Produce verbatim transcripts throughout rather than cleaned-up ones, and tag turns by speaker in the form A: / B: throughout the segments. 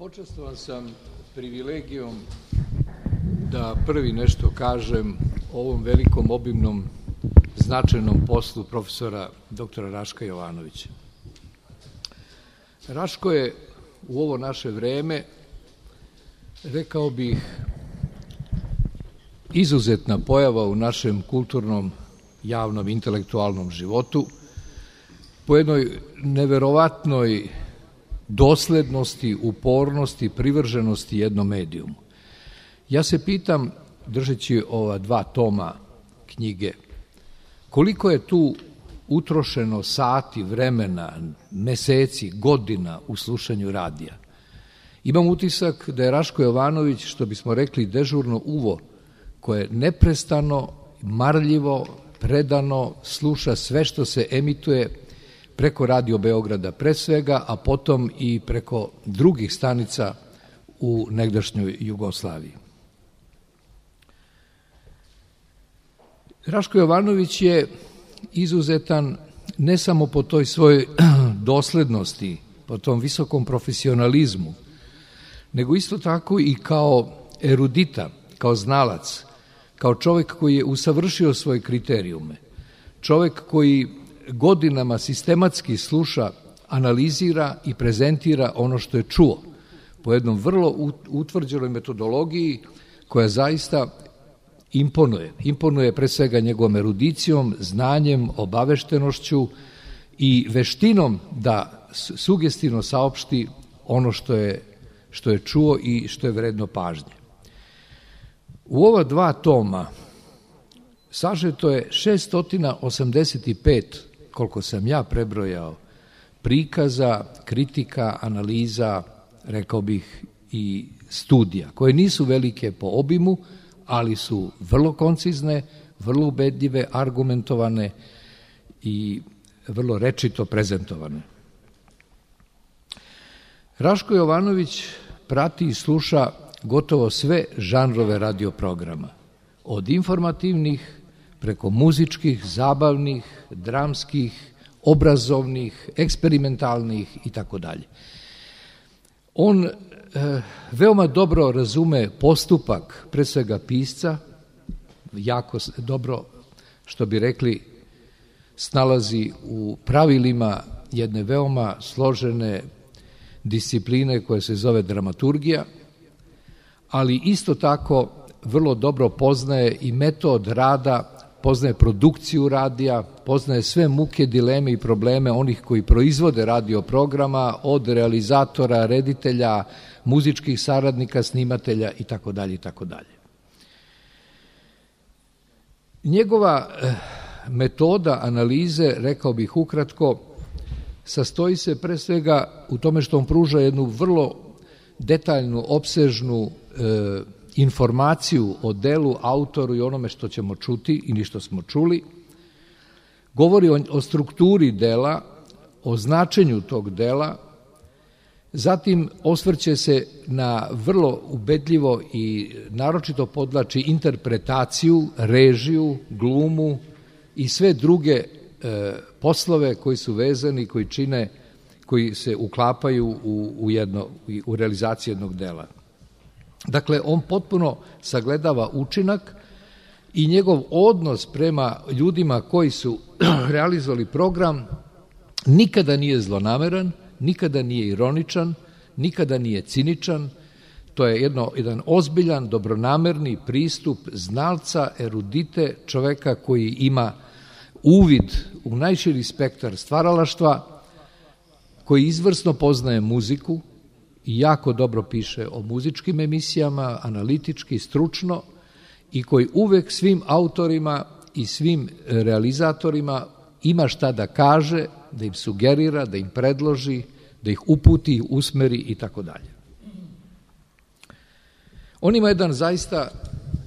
A: Počastovan sam privilegijom da prvi nešto kažem o ovom velikom, obimnom, značajnom poslu profesora doktora Raška Jovanovića. Raško je u ovo naše vreme, rekao bih, izuzetna pojava u našem kulturnom, javnom, intelektualnom životu, po jednoj neverovatnoj doslednosti, upornosti, privrženosti jednom medijumu. Ja se pitam, držeći ova dva toma knjige, koliko je tu utrošeno sati, vremena, meseci, godina u slušanju radija. Imam utisak da je Raško Jovanović, što bismo rekli, dežurno uvo, koje neprestano, marljivo, predano sluša sve što se emituje preko Radio Beograda pre svega, a potom i preko drugih stanica u negdašnjoj Jugoslaviji. Raško Jovanović je izuzetan ne samo po toj svojoj doslednosti, po tom visokom profesionalizmu, nego isto tako i kao erudita, kao znalac, kao čovjek koji je usavršio svoje kriterijume, čovjek koji godinama sistematski sluša, analizira i prezentira ono što je čuo po jednom vrlo utvrđenoj metodologiji koja zaista imponuje. Imponuje pre svega njegovom erudicijom, znanjem, obaveštenošću i veštinom da sugestivno saopšti ono što je, što je čuo i što je vredno pažnje. U ova dva toma sažeto je šessto osamdeset pet, koliko sam ja prebrojao, prikaza, kritika, analiza, rekao bih i studija, koje nisu velike po obimu, ali su vrlo koncizne, vrlo ubedljive, argumentovane i vrlo rečito prezentovane. Raško Jovanović prati i sluša gotovo sve žanrove radioprograma, od informativnih preko muzičkih, zabavnih, dramskih, obrazovnih, eksperimentalnih i tako dalje. On e, veoma dobro razume postupak, pre svega pisca, jako dobro, što bi rekli, snalazi u pravilima jedne veoma složene discipline koja se zove dramaturgija, ali isto tako vrlo dobro poznaje i metod rada, poznaje produkciju radija, poznaje sve muke, dileme i probleme onih koji proizvode radio programa, od realizatora, reditelja, muzičkih saradnika, snimatelja i tako dalje i tako dalje. Njegova metoda analize, rekao bih ukratko, sastoji se pre svega u tome što on pruža jednu vrlo detaljnu, opsežnu e, informaciju o delu, autoru i onome što ćemo čuti ili što smo čuli, govori o, o strukturi dela, o značenju tog dela, zatim osvrće se na vrlo ubedljivo i naročito podlači interpretaciju, režiju, glumu i sve druge e, poslove koji su vezani, koji čine, koji se uklapaju u, u, jedno, u realizaciju jednog dela. Dakle, on potpuno sagledava učinak i njegov odnos prema ljudima koji su realizovali program nikada nije zlonameran, nikada nije ironičan, nikada nije ciničan. To je jedno, jedan ozbiljan, dobronamerni pristup znalca, erudite, čoveka koji ima uvid u najširi spektar stvaralaštva, koji izvrsno poznaje muziku i jako dobro piše o muzičkim emisijama, analitički, stručno, i koji uvek svim autorima i svim realizatorima ima šta da kaže, da im sugerira, da im predloži, da ih uputi, usmeri i tako dalje. On ima jedan zaista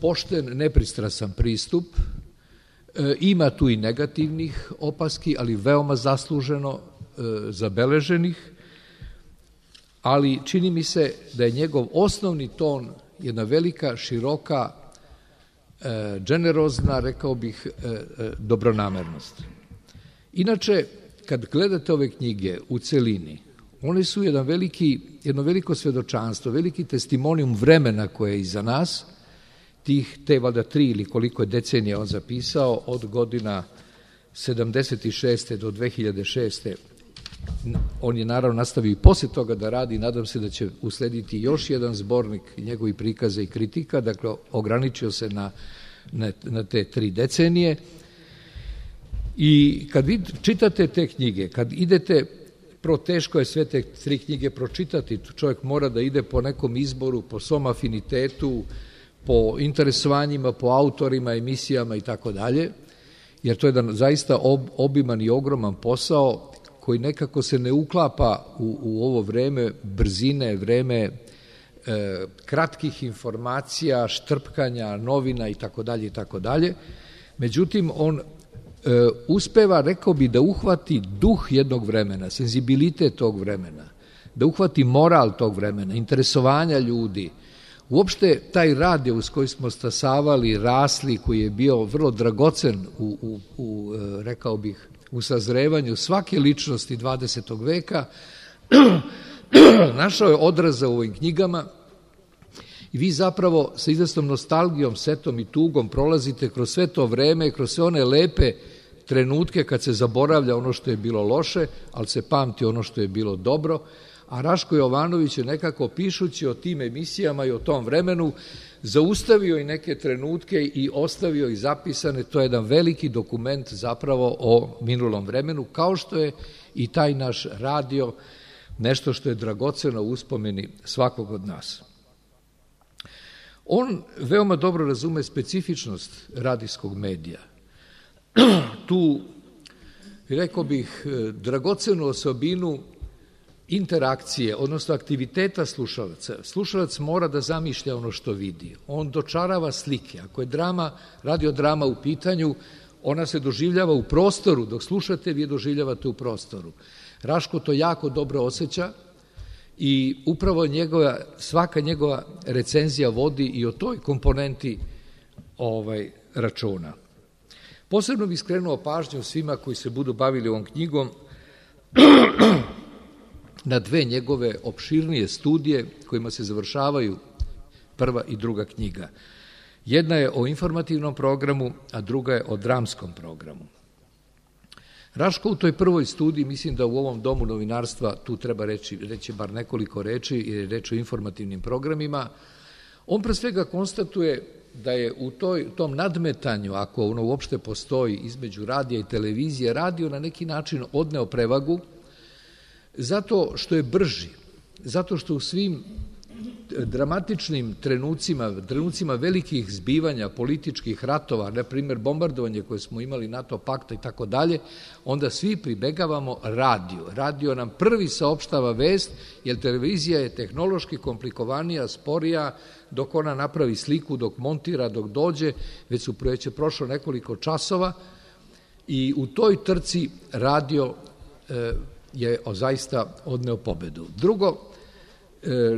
A: pošten, nepristrasan pristup, e, ima tu i negativnih opaski, ali veoma zasluženo e, zabeleženih, ali čini mi se da je njegov osnovni ton jedna velika, široka, e, generozna, rekao bih, e, e, dobronamernost. Inače, kad gledate ove knjige u celini, one su jedan veliki jedno veliko svedočanstvo, veliki testimonijum vremena koje je iza nas, tih te valjda tri ili koliko je decenija on zapisao, od godina sedamdeset šeste do dve hiljade šeste. On je naravno nastavio i posle toga da radi, nadam se da će uslediti još jedan zbornik njegovih prikaza i kritika, dakle ograničio se na, na, na te tri decenije. I kad vi čitate te knjige, kad idete, prvo teško je sve te tri knjige pročitati, čovjek mora da ide po nekom izboru, po svom afinitetu, po interesovanjima, po autorima, emisijama i tako dalje, jer to je jedan zaista ob, obiman i ogroman posao koji nekako se ne uklapa u, u ovo vreme brzine, vreme e, kratkih informacija, štrpkanja, novina i tako dalje i tako dalje. Međutim, on e, uspeva, rekao bi, da uhvati duh jednog vremena, senzibilitet tog vremena, da uhvati moral tog vremena, interesovanja ljudi. Uopšte taj radio uz koji smo stasavali, rasli, koji je bio vrlo dragocen u, u, u rekao bih, u sazrevanju svake ličnosti dvadesetog veka, našao je odraza u ovim knjigama i vi zapravo sa izvesnom nostalgijom, setom i tugom prolazite kroz sve to vreme, kroz sve one lepe trenutke kad se zaboravlja ono što je bilo loše, ali se pamti ono što je bilo dobro, a Raško Jovanović je nekako pišući o tim emisijama i o tom vremenu zaustavio i neke trenutke i ostavio i zapisane. To je jedan veliki dokument zapravo o minulom vremenu, kao što je i taj naš radio nešto što je dragoceno u uspomeni svakog od nas. On veoma dobro razume specifičnost radijskog medija. Tu, rekao bih, dragocenu osobinu interakcije, odnosno aktiviteta slušalaca. Slušalac mora da zamišlja ono što vidi. On dočarava slike. Ako je drama, radiodrama u pitanju, ona se doživljava u prostoru. Dok slušate, vi je doživljavate u prostoru. Raško to jako dobro osjeća i upravo njegova, svaka njegova recenzija vodi i o toj komponenti ovaj, računa. Posebno bih skrenuo pažnju svima koji se budu bavili ovom knjigom na dve njegove opširnije studije kojima se završavaju prva i druga knjiga. Jedna je o informativnom programu, a druga je o dramskom programu. Raško u toj prvoj studiji, mislim da u ovom domu novinarstva tu treba reći, reći bar nekoliko reči, jer je reč o informativnim programima, on pre svega konstatuje da je u toj, tom nadmetanju, ako ono uopšte postoji između radija i televizije, radio na neki način odneo prevagu, zato što je brži, zato što u svim dramatičnim trenucima, trenucima velikih zbivanja, političkih ratova, na primjer bombardovanje koje smo imali NATO pakta i tako dalje, onda svi pribegavamo radiju. Radio nam prvi saopštava vest, jer televizija je tehnološki komplikovanija, sporija, dok ona napravi sliku, dok montira, dok dođe, već su već je prošlo nekoliko časova i u toj trci radio e, je zaista odneo pobedu. Drugo,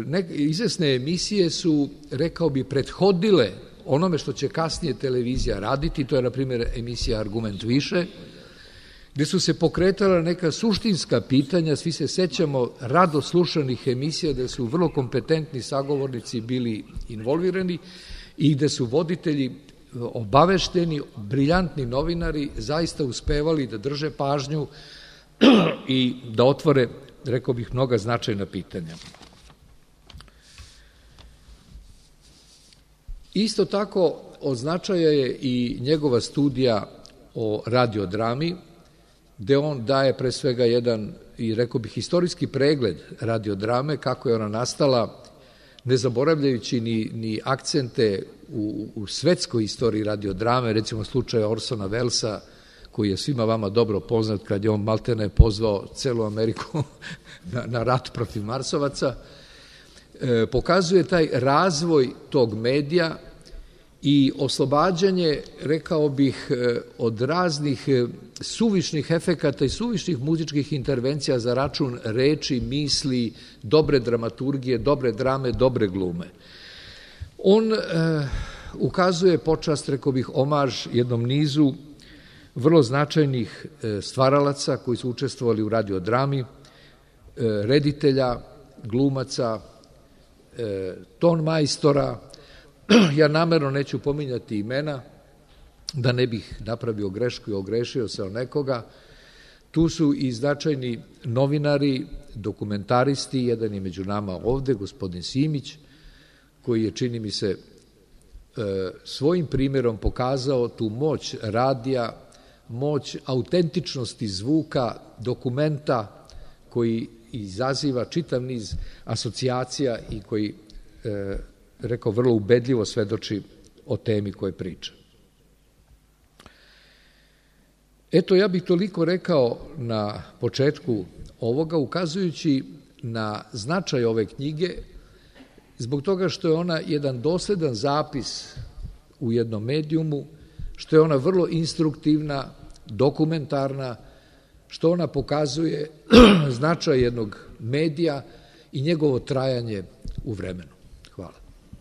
A: neke izvesne emisije su, rekao bi, prethodile onome što će kasnije televizija raditi, to je, na primjer, emisija Argument više, gde su se pokretala neka suštinska pitanja, svi se sećamo rado slušanih emisija, gde su vrlo kompetentni sagovornici bili involvirani i gde su voditelji obavešteni, briljantni novinari zaista uspevali da drže pažnju i da otvore, rekao bih, mnoga značajna pitanja. Isto tako od značaja je i njegova studija o radiodrami, gde on daje pre svega jedan, i rekao bih, historijski pregled radiodrame, kako je ona nastala, ne zaboravljajući ni, ni akcente u, u svetskoj istoriji radiodrame, recimo slučaja Orsona Wellesa, koji je svima vama dobro poznat, kad je on maltene pozvao celu Ameriku na, na rat protiv Marsovaca, e, pokazuje taj razvoj tog medija i oslobađanje, rekao bih, od raznih suvišnih efekata i suvišnih muzičkih intervencija za račun reči, misli, dobre dramaturgije, dobre drame, dobre glume. On e, ukazuje počast, rekao bih, omaž jednom nizu vrlo značajnih stvaralaca koji su učestvovali u radiodrami, reditelja, glumaca, ton majstora. Ja namerno neću pominjati imena, da ne bih napravio grešku i ogrešio se o nekoga. Tu su i značajni novinari, dokumentaristi, jedan je među nama ovde, gospodin Simić, koji je, čini mi se, svojim primjerom pokazao tu moć radija, moć autentičnosti zvuka, dokumenta koji izaziva čitav niz asocijacija i koji, rekao, vrlo ubedljivo svedoči o temi koje priča. Eto, ja bih toliko rekao na početku ovoga, ukazujući na značaj ove knjige, zbog toga što je ona jedan dosledan zapis u jednom medijumu, što je ona vrlo instruktivna, dokumentarna, što ona pokazuje značaj jednog medija i njegovo trajanje u vremenu. Hvala.